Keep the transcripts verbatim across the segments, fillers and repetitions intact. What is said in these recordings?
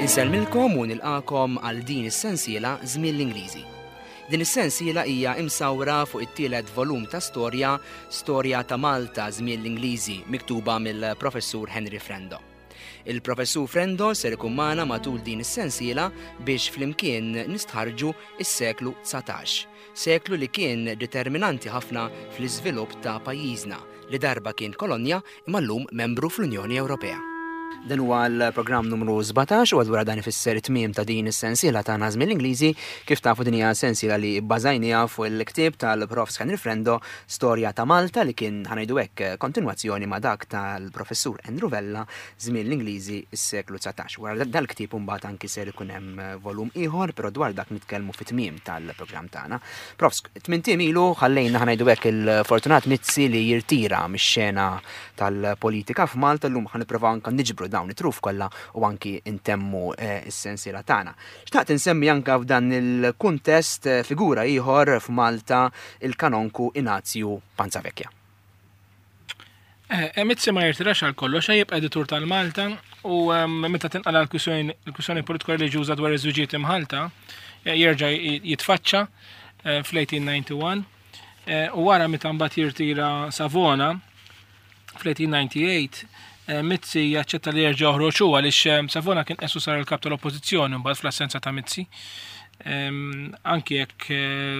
Insellmilkom u nilqakom għal din is-sensiela Żmien l-Ingliżi. Din is-sensiela hija imsawra fuq it-tielet volum ta' storja, Storja ta' Malta Żmien l-Ingliżi, miktuba mill-Professur Henry Frendo. Il-Professur Frendo ser ikun magħna matul din is-sensiela biex flimkien nistħarġu is-seklu dsatax, seklu li kien determinanti ħafna fl-iżvilupp ta' pajjiżna li darba kien kolonja imma llum membru fl-Unjoni Ewropea. Dan huwa l-programm numru sbatax u allura dan ifisser it-tmiem ta' din is-sensiela ta' Żmien l-Ingliżi. Kif tafu, din hija sensiela li bbażajniha fuq il-ktieb tal-Profs Henry Frendo, Storja ta' Malta, li kien, ħa ngħidu hekk, kontinwazzjoni ma' dak tal-Professur Andrew Vella, Żmien l-Ingliżi s-seklu dsatax. Wara dal-ktieb imbagħad anki ser ikun hemm volum ieħor, però dwar dak nitkellmu fit-tmiem tal-programm tagħna. Profs, tmint ijiem ilu ħallejna, ħa ngħidu hekk, il-Fortunat Mizzi li jirtira mix-xena tal-politika f'Malta. Llum ħa nipprovaw anke niġbru dawn it-truf kollha u anki intemmu eh, is-sensiela tagħna. Xtaqt insemmi anka f'dan il-kuntest eh, figura ieħor f'Malta, il-kanonku Inazju Panzavecchia. Eh, Mizzi ma jirtirax għal kollox, jibqa' editur tal-Malta u meta tinqala l-kwistjoni politika reliġjuża dwar iż-żwiġijiet imħalta, jerġa' jitfaċċa fl-eighteen ninety-one u wara meta mbagħad jirtira Savona fl-eighteen ninety-eight, Mizzi jaċċetta li jerġa' joħroġ hu għaliex Savona kien qesu sar il-kap tal-Oppożizzjoni mbagħad fl-assenza ta' Mizzi. Anki jekk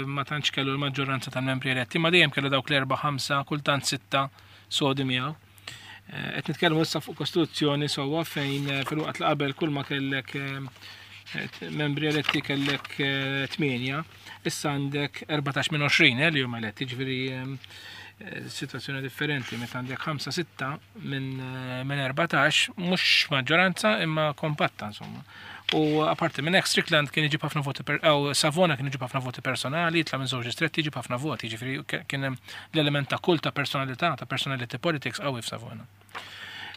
ma tantx kellu l-maġġoranza tal-membri eletti, ma dejjem kellu dawk l-erba', ħamsa, kultant sitta sodi miegħu. Qed nitkellmu issa fuq kostituzzjoni sewwa fejn fil-waqt li qabel kull ma kellek membri eletti kellek tmienja, issa għandek erbatax minn għoxrin li huma eletti, ġifieri situazzjoni differenti meta għandek ħamsa, sitta minn minn erbatax, mhux maġġoranza imma kompatta, insomma. U apparti minn hekk, Strickland kien iġib ħafna voti per, aw Savona kien iġib ħafna voti personali, jitla' minn żewġ distretti, iġib ħafna voti, ġifieri kien hemm l-element ta' kult ta' personalità, ta' personality politics qawwi f'Savona.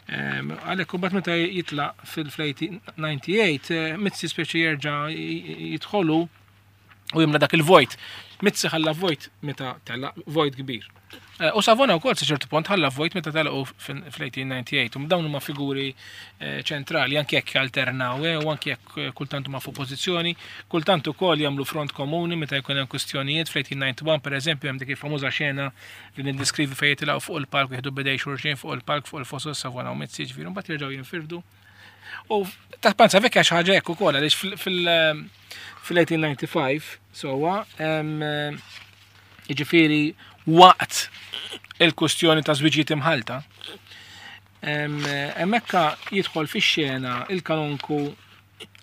Għalhekk imbagħad meta jitla' fil-eighteen ninety-eight, Mizzi speċi jerġa' jidħolu u jimla dak il-vojt. Mizzi ħalla vojt meta tela, vojt kbir. U Savona wkoll sa ċertu punt ħalla vojt meta telqu fl-eighteen ninety-eight. U dawn huma figuri ċentrali, anke jekk alternaw, u anke jekk kultant huma f'oppożizzjoni, kultant ukoll jagħmlu front komuni meta jkun hemm kwistjonijiet. Fl-eighteen ninety-one, pereżempju, hemm dik il-famuża xena li niddeskrivi fejn jitilgħu fuq il-palk, jieħdu bidej xulxin fuq il-palk, fuq il-fosos, Savona u Mizzi, ġifieri mbagħad jerġgħu jinfirdu. U ta' Panzavecchia xi ħaġa hekk ukoll, għaliex fil-eighteen ninety-five sewwa, jiġifieri waqt il-kustjoni ta' żwiġijiet imħalta, hemmhekk jidħol fix-xena il-kanonku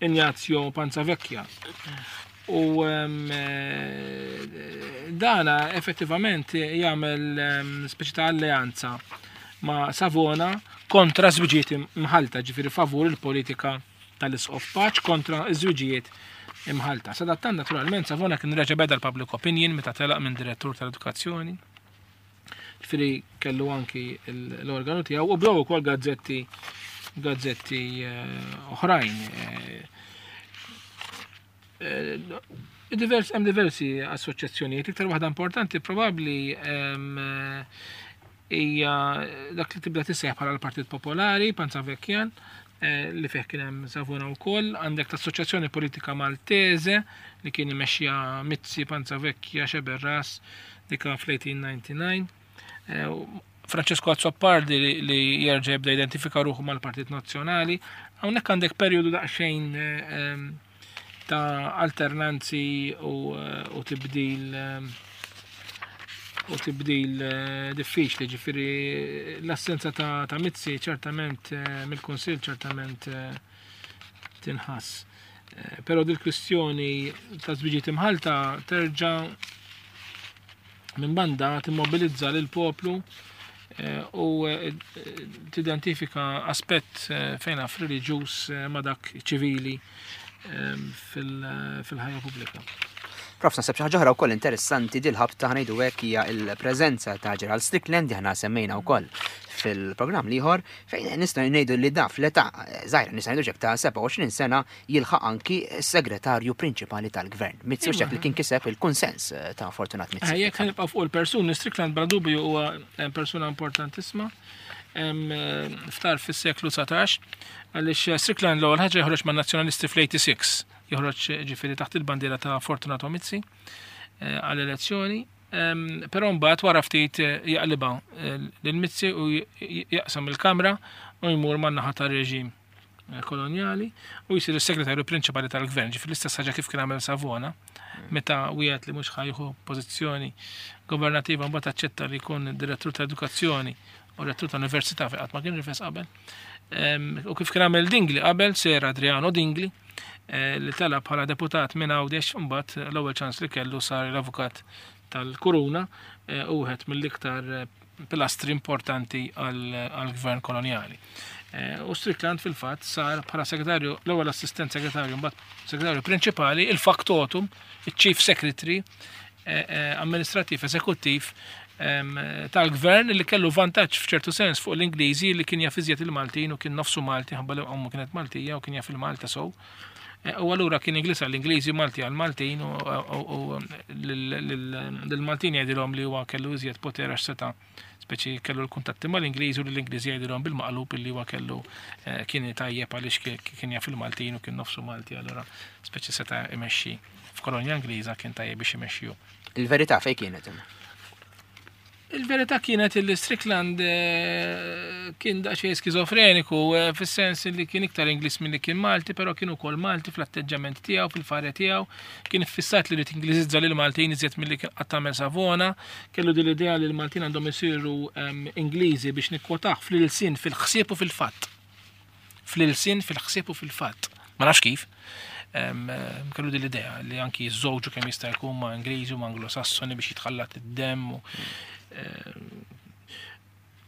Ignazio Panzavecchia. U dana effettivament jagħmel speċi ta' alleanza ma' Savona kontra żwiġijiet imħalta, ġifieri favur il-politika tal-Isqof Pace kontra ż-żwiġijiet imħalta. Sadattant, naturalment, Savona kien reġa' beda l-public opinion meta telaq minn direttur tal-edukazzjoni. Ġifieri kellu anki l-organu tiegħu u bdew ukoll gazzetti gazzetti oħrajn. Divers, hemm diversi assoċjazzjonijiet, iktar waħda importanti probabbli hija dak li tibda tissejjaħ bħala l-Partit Popolari, Panzavecchian, li fih kien hemm Savona wkoll, għandek l-Assoċjazzjoni Politika Maltese li kien imexxija Mizzi, Panzavecchia, Sceberras, dik fl-eighteen ninety-nine. Francesco Azzopardi li, li jerġa' jibda identifika ruħu mal-Partit Nazzjonali. Hawnhekk għandek perjodu daqsxejn ta' alternanzi u, u tibdil u tibdil diffiċli, ġifieri l-assenza ta', ta' Mizzi ċertament mill-Kunsill ċertament tinħass. Però dil-kwistjoni ta' żwiġijiet imħalta terġa' minn banda timmobilizza lil poplu u tidentifika aspett fejn naf reliġjuż ma' dak ċivili fil-ħajja pubblika. Prof, naħseb xi ħaġa oħra wkoll interessanti dil-ħabta, ħa ngħidu hekk, hija l-preżenza ta' Gerald Strickland li aħna semmejna wkoll fil-programm l-ieħor, fejn nistgħu ngħidu li da fl-età żgħira, nistgħu ngħidu ta' sebgħa u għoxrin sena, jilħaq anki s-segretarju prinċipali tal-gvern. Mizzi u li kien kiseb il-kunsens ta' Fortunat Mizzi. Jekk nibqa' fuq il-persuni, Strickland bla dubju huwa persuna importantissima. ftar fis-seklu dsatax, għaliex Strickland l-ewwel ħaġa joħroġ man-Nazzjonalisti fl-eighty-six, joħroġ ġifieri taħt il-bandiera ta' Fortunato Mizzi għall-elezzjoni, però mbagħad wara ftit jaqlibha lil Mizzi u jaqsam il-Kamra u jmur man-naħa tar-reġim kolonjali u jsir is-segretarju prinċipali tal-gvern, ġifieri l-istess ħaġa kif kien għamel Savona, meta wieħed li mhux ħa jieħu pożizzjoni governativa mbagħad aċċetta li jkun direttur ta' edukazzjoni u rettur ta' università fejn qatt ma kien rifes qabel. U kif kien għamel Dingli qabel, Sir Adriano Dingli, li tela bħala deputat minn Għawdex, mbagħad l-ewwel ċans li kellu sar l-avukat tal-Kuruna u wieħed mill-iktar pilastri importanti għall-gvern kolonjali. U Strickland fil-fatt sar bħala segretarju, l-ewwel assistent segretarju, mbagħad segretarju prinċipali, il-factotum, il-chief secretary amministrativ eżekuttiv tal-gvern, li kellu vantaġġ f'ċertu sens fuq l-Ingliżi, li kien jaf iżjed il-Maltin u kien nofsu Malti, ħabba li ommu kienet Maltija u kien jaf il-Malta sow. U allura kien Ingliż għall-Ingliżi, Malti għall-Maltin, u l-Maltin jgħidilhom li huwa kellu iżjed poter għax seta' speċi kellu l-kuntatti mal-Ingliżi, u l-Ingliżi jgħidilhom bil-maqlub illi huwa kellu kien tajjeb għaliex kien jaf il-Maltin u kien nofsu Malti, allura speċi seta' imexxi f'kolonja Ingliża, kien tajjeb biex imexxiju. Il-verità fejn kienet imma? Il-verità kienet li Strickland kien daqsxejn skizofreniku, fis-sens li kien iktar Ingliż milli kien Malti, però kien ukoll Malti fl-atteġġament tiegħu, fil-farja tiegħu, kien iffissat li rid Ingliżizza lil Maltin iżjed milli kien qatt għamel Savona, kellu din l-idea li l-Maltin għandhom isiru Ingliżi biex nikkwotah fl-ilsien, fil-ħsieb u fil-fatt. Fl-ilsien, fil-ħsieb u fil-fatt. Ma nafx kif. Kellu din l-idea li anki jiżżewġu kemm jista' jkun ma' Ingliżi u ma' Anglosassoni biex jitħallat id-demm u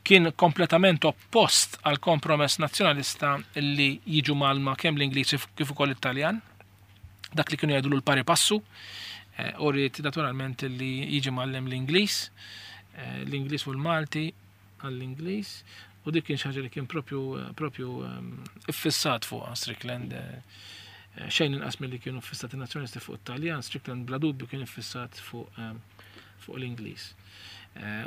kien kompletament oppost għal kompromess nazzjonalista li jiġu malma kemm l-Ingliżi kif ukoll it-Taljan, dak li kienu jgħidu l-pari passu, u rrid naturalment li jiġi mgħallem l-Ingliż, l-Ingliż u l-Malti għall-Ingliż, u dik kien xi ħaġa li kien propju, propju iffissat fuq Strickland. Xejn inqas milli kienu ffissati nazzjonalisti fuq it-Taljan, Strickland bla dubju kien iffissat fuq fuq l-Ingliż.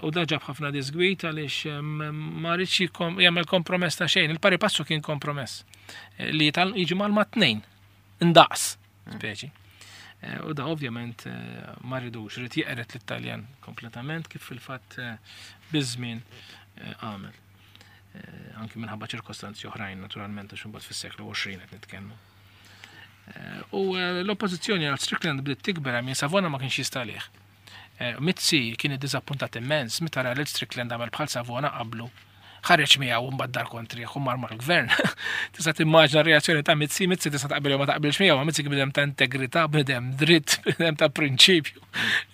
U da ġab ħafna disgwit għaliex ma rridx jagħmel kompromess ta' xejn. Il-pari passu kien kompromess li jiġi mal ma' tnejn indaqs speċi. U da ovvjament ma rridux, rid jeqret l-Italjan kompletament kif fil-fatt biż-żmien għamel. Anki minħabba ċirkostanzi oħrajn naturalment għax imbagħad fis-seklu għoxrin qed nitkellmu. U l-oppożizzjoni għal Strickland bdiet tikber minn Savona ma kienx jista' għalih. Mizzi kien iddiżappuntat immens meta ra lil Strickland għamel bħal Savona qablu. Ħareġ miegħu u mbagħad dar kontrih u mar mal-gvern. Tista' timmaġina r-reazzjoni ta' Mizzi, Mizzi tista' taqbel jew ma taqbilx miegħu, ma Mizzi kien bniedem ta' integrità, bniedem dritt, bniedem ta' prinċipju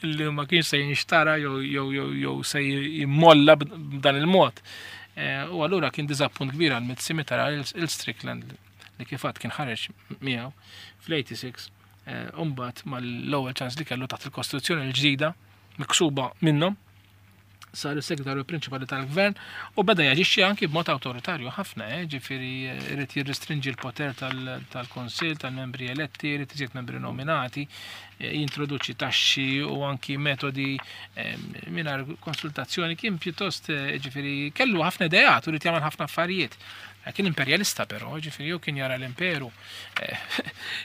li ma kienx se jinxtara jew jew jew jew se jimmolla b'dan il-mod. U allura kien diżappunt kbir għal Mizzi meta ra il Strickland li kif għad kien ħareġ miegħu fl-eighty-six, u mbagħad mal-ewwel ċans li kellu taħt il-Kostituzzjoni l-ġdida miksuba minnhom, sar is-segretarju prinċipali tal-gvern u beda jaġixxi anki b'mod awtoritarju ħafna, eh, ġifieri irid jirrestrinġi l-poter tal-Kunsill, tal-membri eletti, irid iżjed membri nominati, eh, jintroduċi taxxi u anki metodi, eh, mingħajr konsultazzjoni. Kien pjuttost, eh, ġifieri kellu ħafna ideat u rid jagħmel ħafna affarijiet. Kien imperjalista però, ġifieri hu kien jara l-imperu. Eh,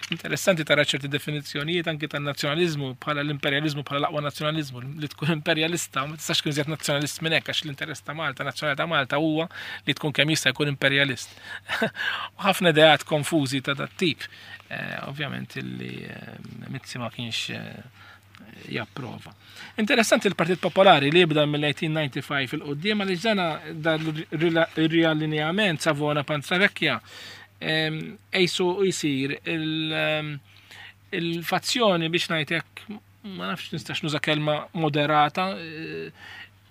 interessanti tara ċerti definizzjonijiet anki tan-nazzjonaliżmu bħala l-imperjaliżmu bħala l-aqwa nazzjonaliżmu, li tkun imperjalista ma tistax tkun iżjed nazzjonalist minn hekk, għax l-interess ta' Malta, nazzjonali ta' Malta huwa li tkun kemm jista' jkun imperjalist. U ħafna ideat konfużi ta' dat tip. Eh, ovvjament illi, eh, Mizzi ma kienx, eh, japprova. Interessanti l-Partit Popolari li jibda mill-eighteen ninety-five il-qoddim, għaliex dana dan il-riallineament Savona Panzavecchia, ehm, ejsu jisir il-, ehm, il-fazzjoni biex ngħidlek, ma nafx nistax nuża kelma moderata,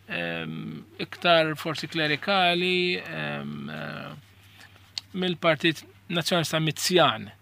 ehm, iktar forsi klerikali, ehm, eh, mill-Partit Nazzjonalista Mizzjan.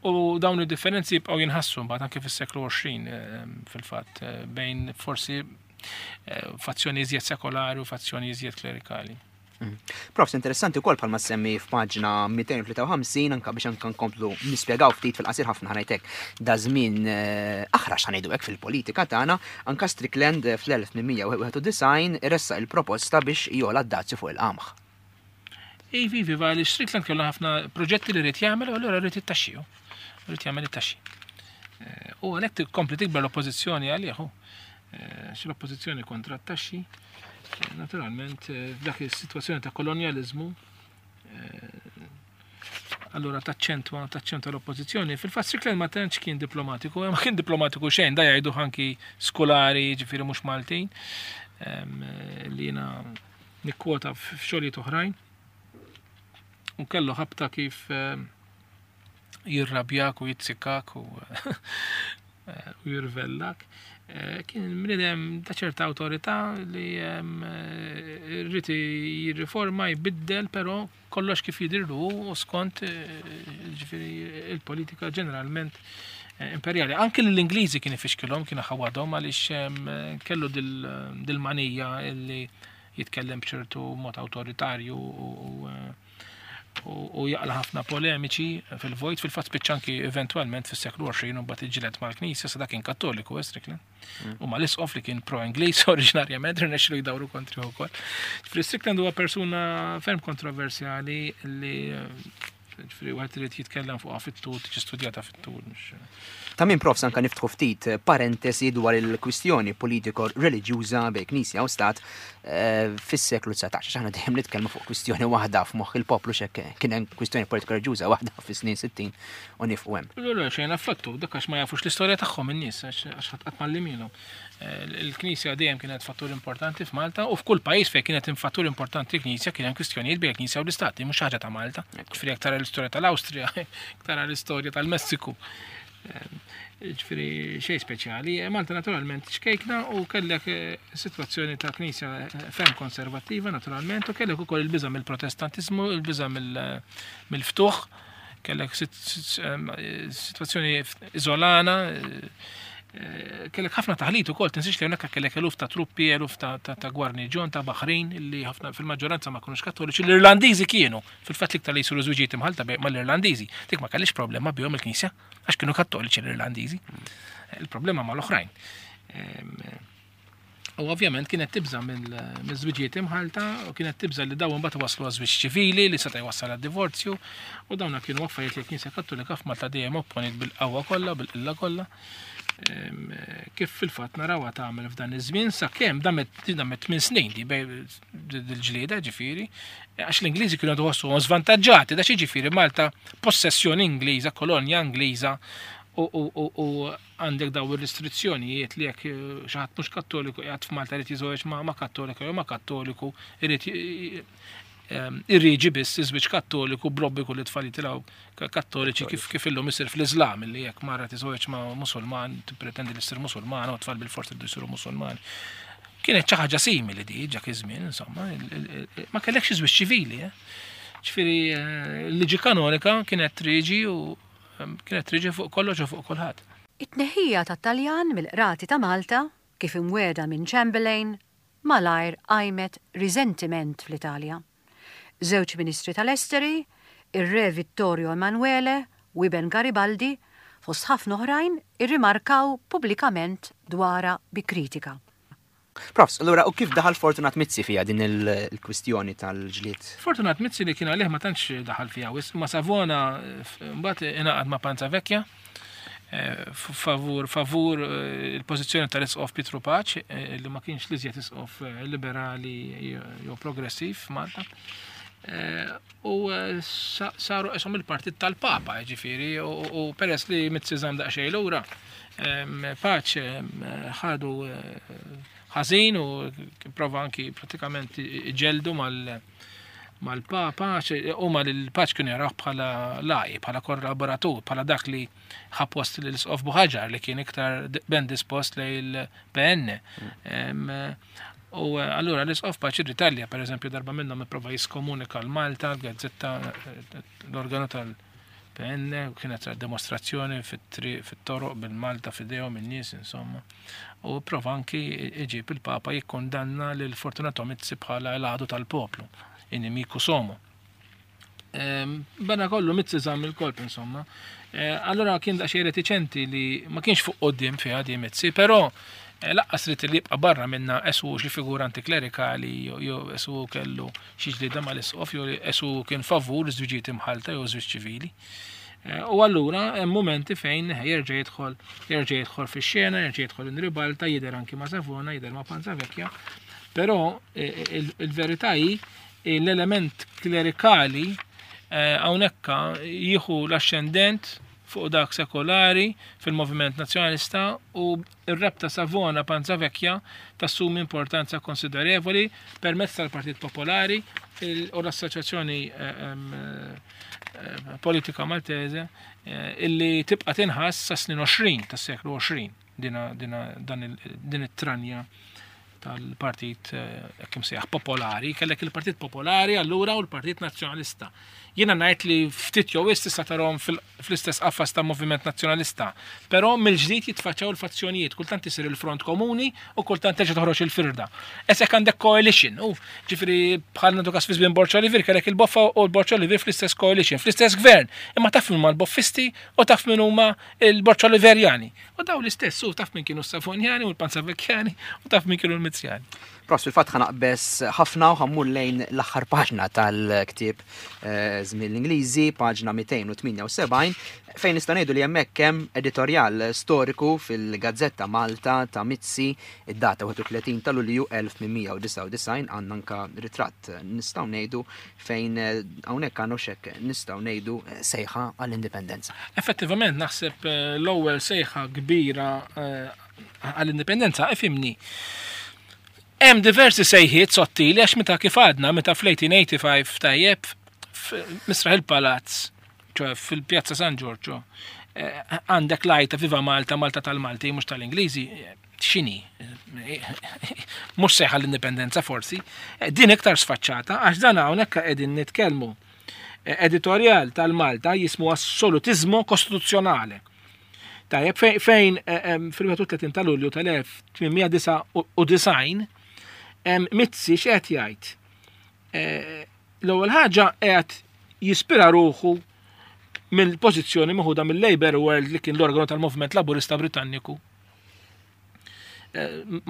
U dawn id-differenzi jibqgħu jinħassu mbagħad anke fis-seklu għoxrin, ehm, fil-fatt, eh, bejn forsi, eh, fazzjoni iżjed sekolari u fazzjoni iżjed klerikali. Mm. Profs, interessanti wkoll bħalma semmi f'paġna mitejn u tlieta u ħamsin, anka biex anka nkomplu nispjegaw ftit fil-qasir ħafna ħanajtek da żmien, eh, aħrax ħanejdu hekk fil-politika tagħna, anka Strickland fl-elf tmien mija u wieħed u disgħin ressaq il-proposta biex jola d-dazju fuq il-qamħ. Ivi, iva, li Strickland kellu ħafna proġetti li rrid jagħmel u allura rrid it-taxxi. Rrid jagħmel it-taxxi. Eh, u għalhekk tkompli tikber l-oppożizzjoni għalih. Eh, xi l-oppożizzjoni kontra t-taxxi, eh, naturalment f'dak is-sitwazzjoni ta' kolonjaliżmu allura taċċentwa taċċentwa l-oppożizzjoni. Fil-fatt Strickland ma tantx kien diplomatiku, ma kien diplomatiku xejn, da jgħidu anki skolari, ġifieri mhux Maltin, li jiena nikkwota f'xogħlijiet oħrajn. U kellu ħabta kif jirrabjak u jitzikak u u jirvellak. Kien bniedem ta' ċerta awtorità li rrid jirriforma, jbiddel, però kollox kif jidirlu u skont ġifieri il-politika ġeneralment imperjali. Anki l-Ingliżi kien ifixkilhom, kien ħawadhom għaliex kellu dil-manija li jitkellem b'ċertu mod awtoritarju u u jaqla ħafna polemiċi fil-vojt, fil-fatt spiċċa anki eventwalment fis-seklu għoxrin u mbagħad iġġieled mal-Knisja, sa dak kien Kattoliku Strickland. U mal-isqof li kien pro-Ingliż oriġinarjament rnexxielu jdawru kontri wkoll. Ġifieri Strickland huwa persuna ferm kontroversjali li ġifieri wieħed irid jitkellem fuqha fit-tul, tiġi studjata fit-tul. Ta' min profs anka niftħu ftit parentesi dwar il-kwistjoni politiko-reliġjuża bejn Knisja u Stat fis-seklu dsatax. Aħna dejjem nitkellmu fuq kwistjoni waħda f'moħħ il-poplu x'hekk kien hemm kwistjoni politiko-reliġjuża waħda fis-snin sittin u nifqu hemm. Le, le, xejn affattu, dak għax ma jafux l-istorja tagħhom in-nies, għax ħadd qatt m'għallimilhom. Il-Knisja dejjem kienet fattur importanti f'Malta u f'kull pajjiż fejn kienet fattur importanti l-Knisja kien hemm kwistjonijiet bejn il-Knisja u l-Istat, mhux ħaġa ta' Malta. Ġifieri jekk tara l-istorja tal-Awstrija, tara l-istorja tal-Messiku. Ġifieri xejn speċjali. Malta naturalment xkejkna u kellek sitwazzjoni ta' Knisja ferm konservattiva naturalment u kellek ukoll il-biża' mill-Protestantizmu, il-biża' mill-ftuħ, kellek sitwazzjoni iżolana, kellek ħafna taħlit ukoll, tinsiex li hawnhekk kellek eluf ta' truppi, eluf ta' gwarniġjon, ta' Baħrin li ħafna fil-maġġoranza ma kinux Kattoliċi, l-Irlandiżi kienu, fil-fatt l-iktar li jsiru żwiġijiet imħalta mal-Irlandiżi. Dik ma kellix problema bihom il-Knisja għax kienu Kattoliċi l-Irlandiżi. Il-problema mal-oħrajn. U ovvjament kienet tibża' mill-żwiġijiet imħalta u kienet tibża' li dawn imbagħad waslu għaż-żwieġ ċivili li seta' jwassal għad-divorzju u dawna kienu affarijiet li l-Knisja Kattolika f'Malta dejjem opponiet bil-qawwa kollha, bil-qilla kollha. Kif fil-fatt narawha tagħmel f'dan iż-żmien sakemm damet damet tmien snin di dil-ġlieda ġifieri, għax l-Ingliżi kienu jħossuhom żvantaġġati, da xi ġifieri Malta possessjoni Ingliża, kolonja Ingliża u għandek daw ir-restrizzjonijiet li jekk xi ħadd mhux Kattoliku qiegħed f'Malta irid jiżżewweġ ma' Kattolika jew ma' Kattoliku, irid irriġi biss iż-żwieġ Kattoliku b'obbligu li tfal jitilgħu Kattoliċi kif kif illum isir fl-Iżlam li jekk mara tiżżewweġ ma' Musulman tippretendi li ssir Musulmana u tfal bil-forsi jridu jsiru Musulmani. Kienet xi ħaġa simili di dak iż-żmien, insomma, ma kellekx iż-żwieġ ċivili, eh? Ġifieri l-liġi kanonika kienet triġi u kienet triġi fuq kollox u fuq kulħadd. It-tneħħija tat-Taljan mill-qrati ta' Malta, kif imwiegħda minn Chamberlain, malajr qajmet riżentiment fl-Italja. Żewġ ministri tal-Esteri, ir-Re Vittorio Emanuele u Iben Garibaldi, fost ħafna oħrajn, irrimarkaw pubblikament dwarha bi kritika. Profs, allura u kif daħal Fortunat Mizzi fija din il-kwistjoni tal-ġlied? Fortunat Mizzi li kien għalih ma tantx daħal fija, ma Savona mbagħad ingħaqad ma' Panzavecchia favur favur il-pożizzjoni tal-Isqof Pietru Pace li ma kienx l-iżjed isqof liberali jew progressiv f'Malta. U saru qishom il-partit tal-Papa, ġifieri, u peress li Mizzi żamm daqsxejn lura, Pace ħadu ħażin u prova anki pratikament ġeldu mal-Papa, huma l-Pace kienu jaraw bħala laj, bħala kollaboratur, bħala dak li ħa post l-Isqof Buħaġar li kien iktar ben dispost lejn il-P N. U allura l-Isqof Pace irritalja, per eżempju, darba minnhom ipprova jiskomunika l-Malta, l-gazzetta, l-organu tal-P N, u kienet dimostrazzjoni fit-toroq bil-Malta f'idejhom in-nies, insomma. U prova anki iġib il-Papa jikkondanna lil Fortunato Mizzi bħala l-għadu tal-poplu, inimiku somo. Bena kollu Mizzi żamm il-kolp, insomma. Allora kien daqsxejn retiċenti li ma kienx fuq quddiem fiha di Mizzi, però Lanqas ried li jibqa' barra minna esu xi figura antiklerikali jew esu kellu xi ġlieda mal-isqof jew esu kien favur żwiġijiet imħalta jew żwieġ ċivili. U allura hemm momenti fejn jerġa' jidħol jerġa' jidħol fix-xena, jerġa' jidħol in ribalta, jidher anki ma' Savona, jidher ma' Panzavecchia, però il-verità hi l-element klerikali hawnhekk jieħu l-ascendent fuq dak sekolari fil-moviment nazzjonalista u r-rabta Savona Panzavecchia tassumi importanza konsiderevoli permezz tal-Partit Popolari u l-Assoċjazzjoni Politika Maltese illi tibqa' tinħass sa snin għoxrin tas-seklu għoxrin din it-tranja tal-Partit hekk imsejjaħ Popolari. Kellek il-Partit Popolari allura u l-Partit Nazzjonalista. Jiena ngħid li ftit jew wisq tista' tarahom fl-istess qafas ta' Moviment Nazzjonalista, però mill-ġdid jitfaċċaw il-fazzjonijiet, kultant isir il-front komuni u kultant terġa' toħroġ il-firda. Esek għandek coalition, u ġifieri bħal nagħtu każ fi żmien Borg Olivier kellek il-Boffa u l-Borg Olivier fl-istess coalition, fl-istess gvern, imma taf min huma l-Boffisti u taf min huma l-Borg Oliverjani. U daw l-istess, u taf min kienu s-Savonjani u l-Panzavecchiani u taf min kienu l-Mizzjani. Prof, fil-fatt ħa naqbeż ħafna u ħa mmur lejn l-aħħar paġna tal-ktieb Żmien l-Ingliżi, paġna mitejn u tmienja u sebgħin, fejn nistgħu ngħidu li hemmhekk hemm editorjal storiku fil-Gazzetta Malta ta' Mizzi, id-data wieħed u tletin ta' Lulju elf tmien mija u disgħa u disgħin, għandna anka ritratt nistgħu ngħidu fejn hawnhekk għandna x'hekk nistgħu ngħidu sejħa għall-indipendenza. Effettivament naħseb l-ewwel sejħa kbira għall-indipendenza, ifhimni. Hemm diversi sejħiet sottili għax meta kif għadna, meta fl-eighteen eighty-five tajjeb Misraħ il-Palazz, ċoe fil-Pjazza San Giorgio, għandek lajta Viva Malta, Malta tal-Malti, mhux tal-Ingliżi, x'inhi? Mhux sejħa l-indipendenza forsi. Din iktar sfaċċata għax dan hawnhekk qegħdin nitkellmu. Editorial tal-Malta jismu Assolutizmo Kostituzzjonale. Tajjeb, fejn, fejn, fil-wieħed u tletin ta' Lulju tal-elf tmien mija disgħa u disgħin, Mizzi x'qed jgħid? L-ewwel ħaġa qed jispira ruħu mill-pożizzjoni meħuda mill-Labour World li kien l-organu tal-Moviment Laburista Britanniku.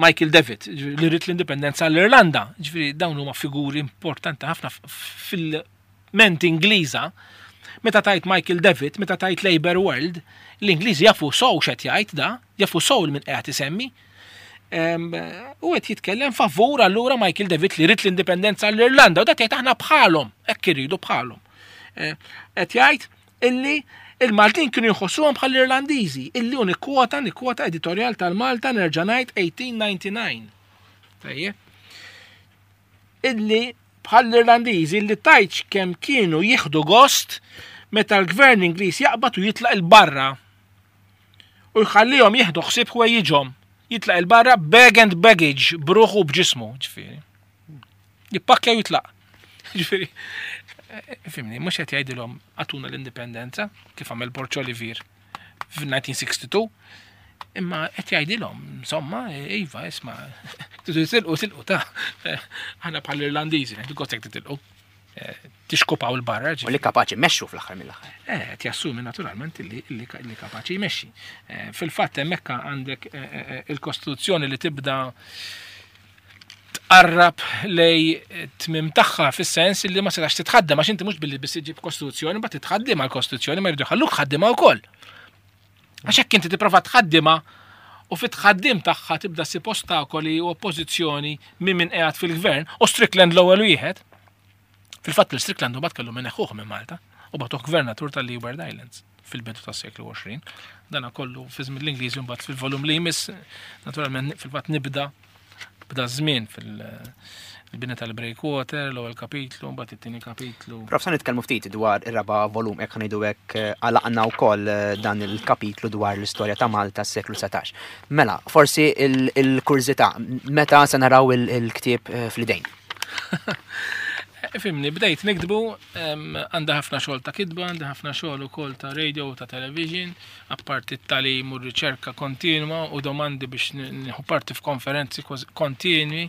Michael Davitt, li rrid l-indipendenza għall-Irlanda. Ġifieri dawn huma figuri importanti ħafna fil-ment Ingliża. Meta tajt Michael Davitt, meta tajt Labour World, l-Ingliżi jafu sow x'qed jgħid da, jafu sow min qiegħed isemmi. Em, u qed jitkellem favur allura Michael Davitt li rrid l-indipendenza għall-Irlanda, u dak jgħid aħna bħalhom, hekk iridu bħalhom. Eh, qed jgħid illi il-Maltin kienu jħossuhom bħall-Irlandiżi, illi hu nikkwota, nikkwota editorjal tal-Malta nerġa' ngħid eighteen ninety-nine. Tajjeb. Illi bħall-Irlandiżi illi tajtx kemm kienu jieħdu gost meta l-gvern Ingliż jaqbad u jitlaq il-barra u jħallihom jieħdu ħsieb ħwejjiġhom. Jitlaq il-barra bag and baggage, bruħu b'ġismu, ġifieri. Jippakkja u jitlaq. Ġifieri, fimni, mhux qed jgħidilhom għatuna l-indipendenza, kif għamel Borg Olivier f'nineteen sixty-two, imma qed jgħidilhom, insomma, iva, isma', tidu titilqu, tilqu ta' aħna bħall-Irlandiżi, ngħidu gostek titilqu. Tixkupaw il-barra, U li kapaċi jmexxu fl-aħħar mill-aħħar. Eh, qed jassumi naturalment li, li, li kapaċi jmexxi. Eh, fil-fatt hemmhekk għandek, eh, eh, eh, il-Kostituzzjoni li tibda tqarrab lej tmim tagħha fis-sens li ma setax titħaddem, għax inti mhux billi biss iġib Kostituzzjoni, ma titħaddem għall-Kostituzzjoni, ma jridu jħalluk tħaddimha wkoll. Għax hekk inti tipprova tħaddimha u fit-tħaddim tagħha tibda ssib ostakoli u oppożizzjoni minn min qiegħed fil-gvern, u Strickland l-ewwel wieħed. Fil-fatt il-Strickland u bat kellu minn eħuħ minn Malta u batuh gvernatur tal-Leeward Islands fil-bidu tas-seklu għoxrin. Dana kollu fi żmien l-Ingliżi mbagħad fil-volum li jmiss, naturalment fil-fatt nibda bda żmien fil-bini tal-Breakwater, l-ewwel kapitlu, mbagħad it-tieni kapitlu. Prof, sa nitkellmu ftit dwar ir-raba' volum, hekk ngħidu hekk għalaqna wkoll dan il-kapitlu dwar l-istorja ta' Malta s-seklu setax. Mela, forsi il-, il-kurżità, meta se naraw il-, il-ktieb, eh, fl-idejn? Fimni, bdejt nikdbu, em, għandha ħafna xogħol ta' kitba, għandha ħafna xogħol ukoll ta' radio u ta' television, apparti t-tagħlim u r-riċerka kontinwa u domandi biex n-, nieħu parti f'konferenzi kważi kontinwi.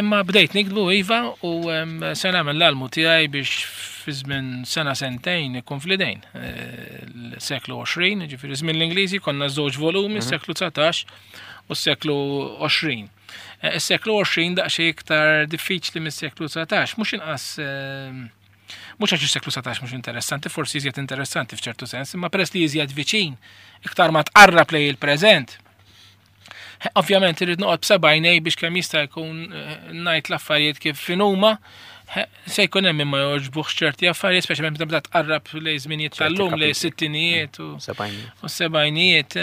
Imma bdejt nikdbu iva u, em, se nagħmel l-almu tiegħi biex fi żmien sena sentejn ikun fl-idejn. Eh, Il-seklu għoxrin, ġifieri żmien l-Ingliżi konna żewġ volumi, s-seklu dsatax u s-seklu għoxrin. Is-seklu għoxrin daqsxejn iktar diffiċli mis-seklu dsatax, mhux inqas, mhux għax is-seklu dsatax mhux interessanti, forsi iżjed interessanti f'ċertu sens, imma peress li iżjed viċin, iktar ma tqarrab lejn il-preżent. Ovvjament irrid noqgħod b'seba' għajnej biex kemm jista' jkun ngħid l-affarijiet kif huma. Se jkun hemm ma jogħġbuhx ċerti affarijiet, speċjalment meta tqarrab lejn żminijiet tal-lum, lejn sittinijiet u sebgħinijiet.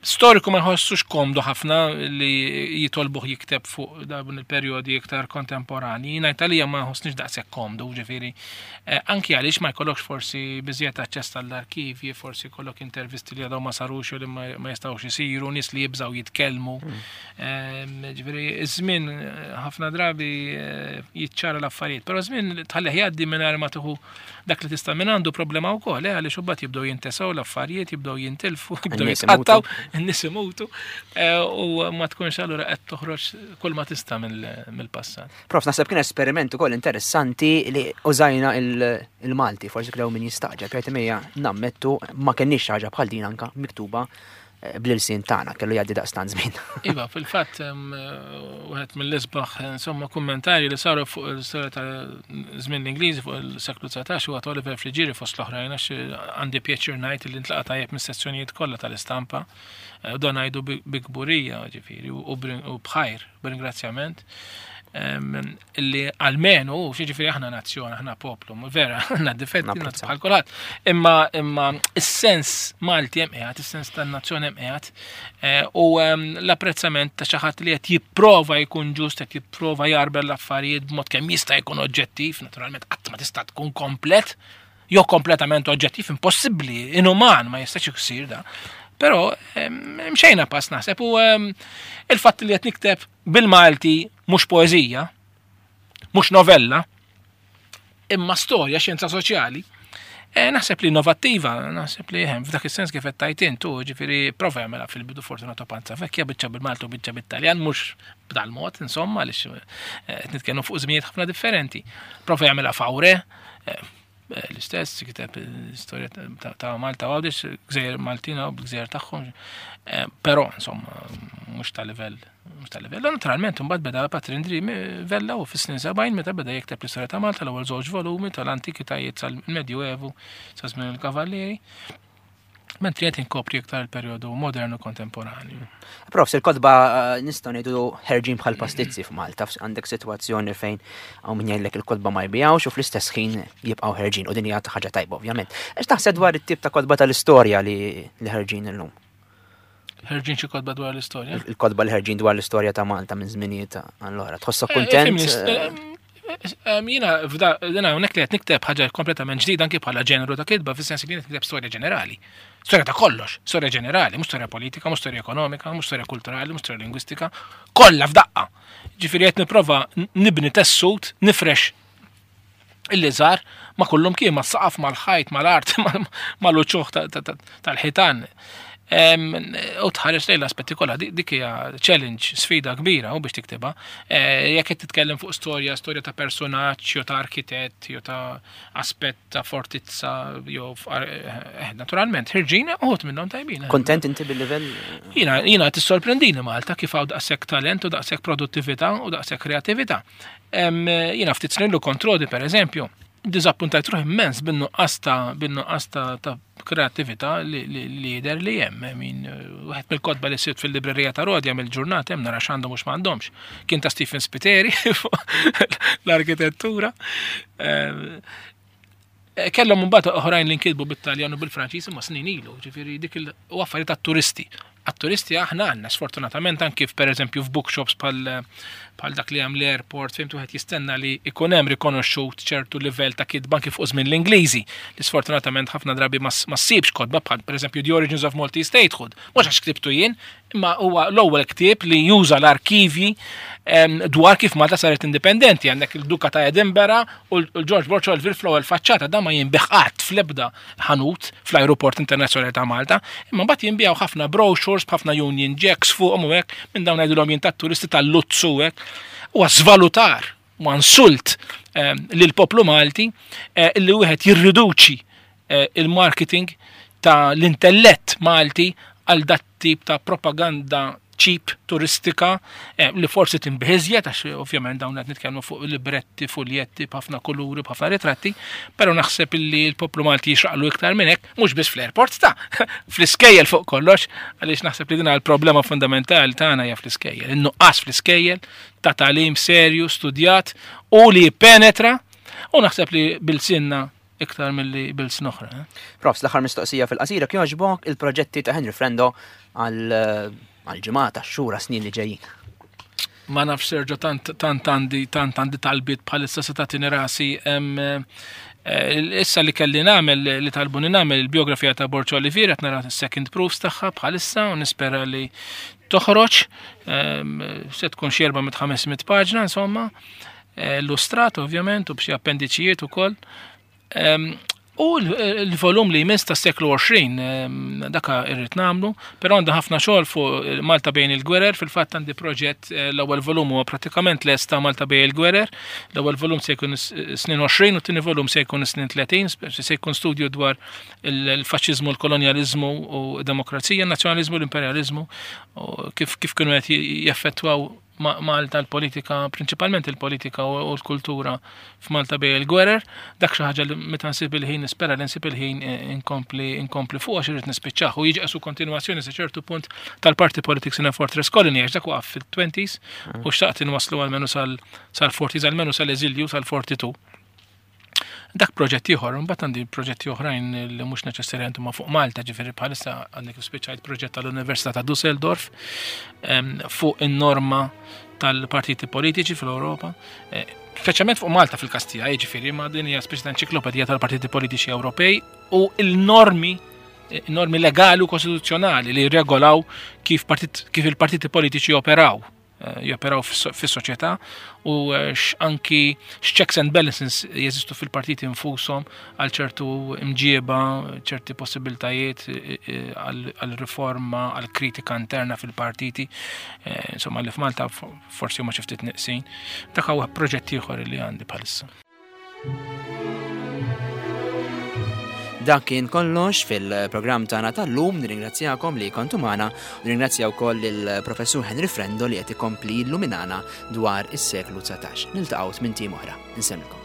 Storiku ma jħossux komdu ħafna li jitolbuh jikteb fuq dawn il-perjodi iktar kontemporani. Ngħid għalija ma nħossniex daqshekk komdu, ġifieri. Anki għaliex ma jkollokx forsi biżjed aċċess tal-arkivji, forsi jkollok intervisti li għadhom ma sarux u li ma jistgħux isiru, nies li jibżgħu jitkellmu. Ġifieri, iż-żmien ħafna drabi jiċċara l-affarijiet, però żmien tħallih jgħaddi mingħajr ma tieħu dak li tista' minn għandu problema wkoll, għaliex imbagħad jibdew jintesew l-affarijiet, jibdew jintilfu, jibdew jitqattaw, in-nies imutu, u ma tkunx allura qed toħroġ kull ma tista' mill-passat. Prof, naħseb kien esperiment ukoll interessanti li użajna il-Malti, forsi kien min jistaġeb, jgħid mejja nammettu ma kenniex ħaġa bħal din anka miktuba bl-ilsien tagħna, kellu jgħaddi daqstant żmien. Iva, fil-fatt wieħed mill-isbaħ insomma kummentarji li saru fuq il-storja ta' żmien l-Ingliżi fuq il-seklu dsatax huwa ta' Oliver Friggieri fost l-oħrajn, għax għandi pjaċir ngħid li ntlaqa' tajjeb mis-sezzjonijiet kollha tal-istampa, u dan ngħidu bi kburija, ġifieri, u bħajr, b'ringrazzjament, illi almenu, ġifieri aħna nazzjon, aħna poplu, vera, għandna difetti, Napprezza. bħal kulħadd. Imma, imma is-sens Malti hemm qiegħed, is-sens tan-nazzjon hemm qiegħed, u l-apprezzament ta' xi ħadd li qed jipprova jkun ġust, qed jipprova jarbel l-affarijiet b'mod kemm jista' jkun oġġettiv, naturalment qatt ma tista' tkun komplet, jew kompletament oġġettiv, impossibbli, inuman, ma jistax isir da. Però mxejna pass naħseb, u il-fatt li qed nikteb bil-Malti mhux poeżija, mhux novella, imma storja, xjenza soċjali, eh, naħseb li innovattiva, naħseb li hemm f'dak is-sens kif qed tajt intu, ġifieri prova jagħmilha fil-bidu Fortunato Panzavecchia, biċċa bil-Malti u biċċa bit-Taljan, mhux b'dal-mod, insomma, għaliex, eh, qed nitkellmu fuq żminijiet ħafna differenti. Prova jagħmilha Faure, eh, l-istess, kiteb l-istorja ta', ta' Malta u Għawdex, gżejjer Maltina u gżejjer tagħhom, eh, però insomma mhux ta' livell, mhux ta' livell. Naturalment imbagħad beda Patri Indri Vella u fis-snin sebgħin meta beda jikteb l-istorja ta' Malta l-ewwel żewġ volumi tal-antikitajiet sal-Medjuevu sa żmien il-Kavallieri. Mentri qed inkopri iktar il-perjodu modernu kontemporanju. Prof, il-kotba, eh, nistgħu ngħidu ħerġin bħal pastizzi f'Malta, fs-, għandek sitwazzjoni fejn hawn min jgħidlek il-kotba ma jbijawx u fl-istess ħin jibqgħu ħerġin, u din hija ħaġa tajba ovvjament. Ex taħseb dwar it-tip ta' kotba tal-istorja li, li ħerġin illum? Ħerġin xi kotba dwar l-istorja? Il-, il-kotba li ħerġin dwar l-istorja ta' Malta minn żminijiet għall-oħra. Tħossok Eh, kuntent? Fimni, eh, eh, jiena f'da, jiena hawnhekk li qed nikteb ħaġa kompletament ġdida anki bħala ġeneru ta' kitba, fis-sens li qed nikteb storja ġenerali. Storja ta' kollox, storja ġenerali, mhux storja politika, mhux storja ekonomika, mhux storja kulturali, mhux storja lingwistika, kollha f'daqqa. Ġifieri qed nipprova nibni tessut, nifrex illi żar ma' kullum kien, ma' saqaf, mal-ħajt, mal-art, mal-uċuħ ta-, ta-, ta-, tal-ħitan. Em, u tħares lejn l-aspetti kollha, di-, dik hija challenge, sfida kbira u biex tiktibha. Eh, jekk qed titkellem fuq storja, storja ta' personaġġ, jew ta' arkitett, jew ta' aspett ta' fortizza, jew f-, eh, naturalment, ħirġin uħud minnhom tajbin. Kontent inti bil-livell? Jiena, jiena tissorprendini Malta kif hawn daqshekk talent u daqshekk produttività u daqshekk kreattività. Em, jiena ftit snin lu kontrodi, per eżempju, diżappuntajt ruħi immens bin-nuqqas ta', bin-nuqqas ta', ta' kreattività li, li, li jidher li hemm. Min, wieħed mill-kotba li sirt fil-librerija ta' Rodja mill-ġurnata hemm nara x'għandhom u x'm'għandhomx. Kien ta' Stephen Spiteri fuq l-arkitettura. Eh, kellhom imbagħad oħrajn li nkitbu bit-Taljan u bil-Franċiż imma snin ilu, ġifieri dik il u affarijiet tat-turisti. Għat-turisti aħna għandna sfortunatament anki per eżempju f'bookshops bħal, bħal dak li hemm l-airport fejn wieħed jistenna li ikun hemm rikonoxxut ċertu livell ta' kitba anki fuq żmien l-Ingliżi li sfortunatament ħafna drabi ma s-, ma ssibx kotba bħal per eżempju The Origins of Maltese Statehood. Mhux għax ktibtu jien, imma huwa l-ewwel ktieb li juża l-arkivji, em, dwar kif Malta saret indipendenti. Għandek il-Duka ta' Edinburgh u l-George Borg Olivier fl-ewwel faċċata, dan ma jinbigħ qatt fl-ebda ħanut fl-Ajruport Internazzjonali ta' Malta, imma mbagħad jinbiegħu ħafna brochures b'ħafna Union Jacks fuqhom u hekk, minn dawn ngħidulhom jien tat-turisti tal-Luzzu hekk. Huwa żvalutar, huwa insult, em, lill-poplu Malti, eh, li wieħed jirriduċi eh, il-marketing ta' l-intellett Malti għal dat tip ta' propaganda cheap turistika eh, li forsi tinbiegħ iżjed, għax ovvjament dawn qed nitkellmu fuq libretti, fuljetti, b'ħafna kuluri, b'ħafna ritratti, però naħseb illi l-poplu Malti jixraqlu iktar minn hekk, mhux biss fl-airport ta' fl-iskejjel fuq kollox, għaliex naħseb li din l-problema fundamentali tagħna hija fl-iskejjel, in-nuqqas fl-iskejjel ta' tagħlim serju, studjat u li penetra, u naħseb li b'ilsienna iktar milli b'ilsna oħra. Eh? Profs, l-aħħar mistoqsija fil-qasira, kjoġbok, il-proġetti ta' Henry Frendo għal għal-ġimgħat, għax-xhur, snin li ġejjin. Ma nafx, Sergio, tant tant għandi tant għandi talbiet bħalissa se tagħtini rasi. Em, eh, Issa li kelli nagħmel, li talbuni nagħmel il-biografija ta' Borg Olivier, qed nara second proofs tagħha bħalissa u nispera li toħroġ. Em, Se tkun xi erba' mit ħames mitt paġna insomma, eh, illustrat ovvjament u b'xi appendiċijiet ukoll. Em, U l-volum li jmiss ta' seklu għoxrin, em, daka irrid nagħmlu, però għandha ħafna xogħol fuq Malta bejn il-gwerer, fil-fatt għandi proġett, eh, l-ewwel volum huwa pratikament lest ta' Malta bejn il-gwerer, l-ewwel volum se jkun s- snin għoxrin u t-tieni volum se jkun snin tletin, se jkun studju dwar il-faxxiżmu, l-kolonjaliżmu u demokrazija, nazzjonaliżmu, l-imperjaliżmu, u kif kif kienu qed jeffettwaw ma- Malta l-politika, principalment il-politika u u l-kultura f'Malta bejn il-gwerer. Dak xi ħaġa li meta nsib il-ħin, nispera li nsib il-ħin, eh, inkompli inkompli fuq għax irid nispiċċah u jiġi qisu kontinwazzjoni sa ċertu punt tal-Party Politics in a Fortress Colony, għax dak waqaf fil-twenties u xtaqt inwaslu almenu sal- sal-forties, almenu sal-eżilju sal-erbgħa u erbgħin. Dak proġett ieħor, imbagħad għandi proġetti oħrajn li mhux neċessarjament huma fuq Malta, ġifieri bħalissa għandi kif spiċċajt proġett tal-Università ta' Dusseldorf em, fuq in-norma tal-partiti politiċi fl-Ewropa, eh, speċjalment fuq Malta fil-Kastija, jiġifieri ma din hija speċi ta' enċiklopedija tal-partiti politiċi Ewropej u il-normi eh, normi legali u kostituzzjonali li regolaw kif, partit, kif il-partiti politiċi operaw eh, joperaw fis-soċjetà u eh, anki checks and balances jeżistu fil-partiti infushom għal ċertu imġieba, ċerti possibiltajiet eh, eh, għal riforma, għal kritika interna fil-partiti, eh, insomma li f'Malta forsi huma xi ftit neqsin. Dak huwa proġett ieħor li għandi bħalissa. Dak kien kollox fil-programm tagħna tal-lum, nirringrazzjakom li kontu magħna, u nirringrazzja wkoll il-Professur Henry Frendo li qed ikompli illuminana dwar is-seklu dsatax. Niltaqgħu tmint ijiem oħra. Insellmilkom.